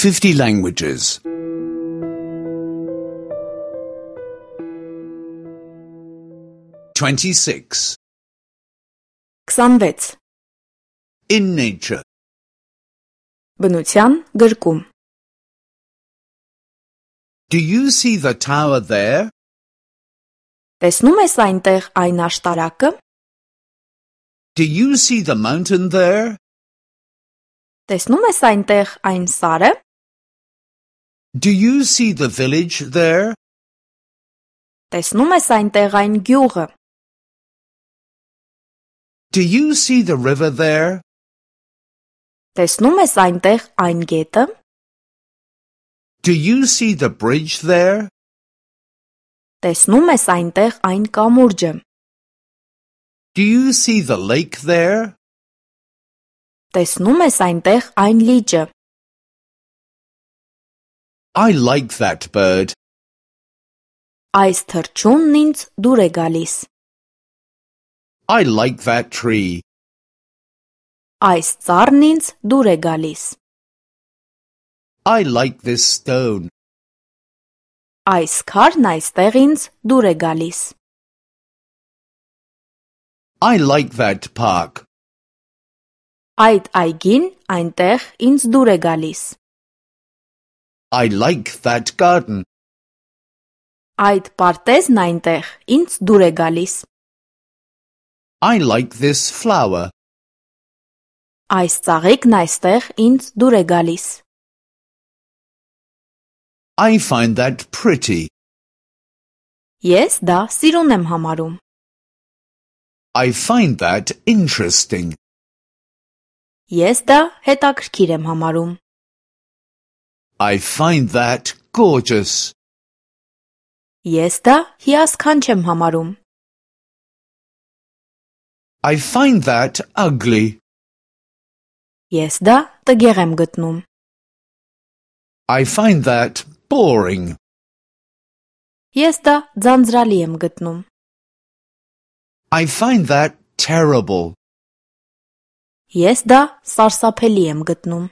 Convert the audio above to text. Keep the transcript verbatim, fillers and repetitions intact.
fifty languages. twenty-six. քսանվեց. In nature. Բնության գրկում. Do you see the tower there? Տեսնում ես այնտեղ այն աշտարակը? Do you see the mountain there? Տեսնում ես այնտեղ այն սարը? Do you see the village there? Տեսնում ես այնտեղ այն գյուղը? Do you see the river there? Տեսնում ես այնտեղ այն գետը? Do you see the bridge there? Տեսնում ես այնտեղ այն կամուրջը? Do you see the lake there? Տեսնում ես այնտեղ այն լիճը? I like that bird. Այս թռչունն ինձ դուր է գալիս. I like that tree. Այս ծառն ինձ դուր է գալիս. I like this stone. Այս քարն այստեղ ինձ դուր է գալիս. I like that park. Այդ այգին այնտեղ ինձ դուր է գալիս. I like that garden. Այդ պարտեզն այնտեղ ինձ դուր է գալիս. I like this flower. Այս ծաղիկն այստեղ ինձ դուր է գալիս. I find that pretty. Ես դա սիրուն եմ համարում. I find that interesting. Ես դա հետաքրքիր եմ համարում. I find that gorgeous. Ես դա հիասքանչ եմ համարում. I find that ugly. Ես դա տգեղ եմ գտնում. I find that boring. Ես դա ձանձրալի եմ գտնում. I find that terrible. Ես դա սարսափելի եմ գտնում.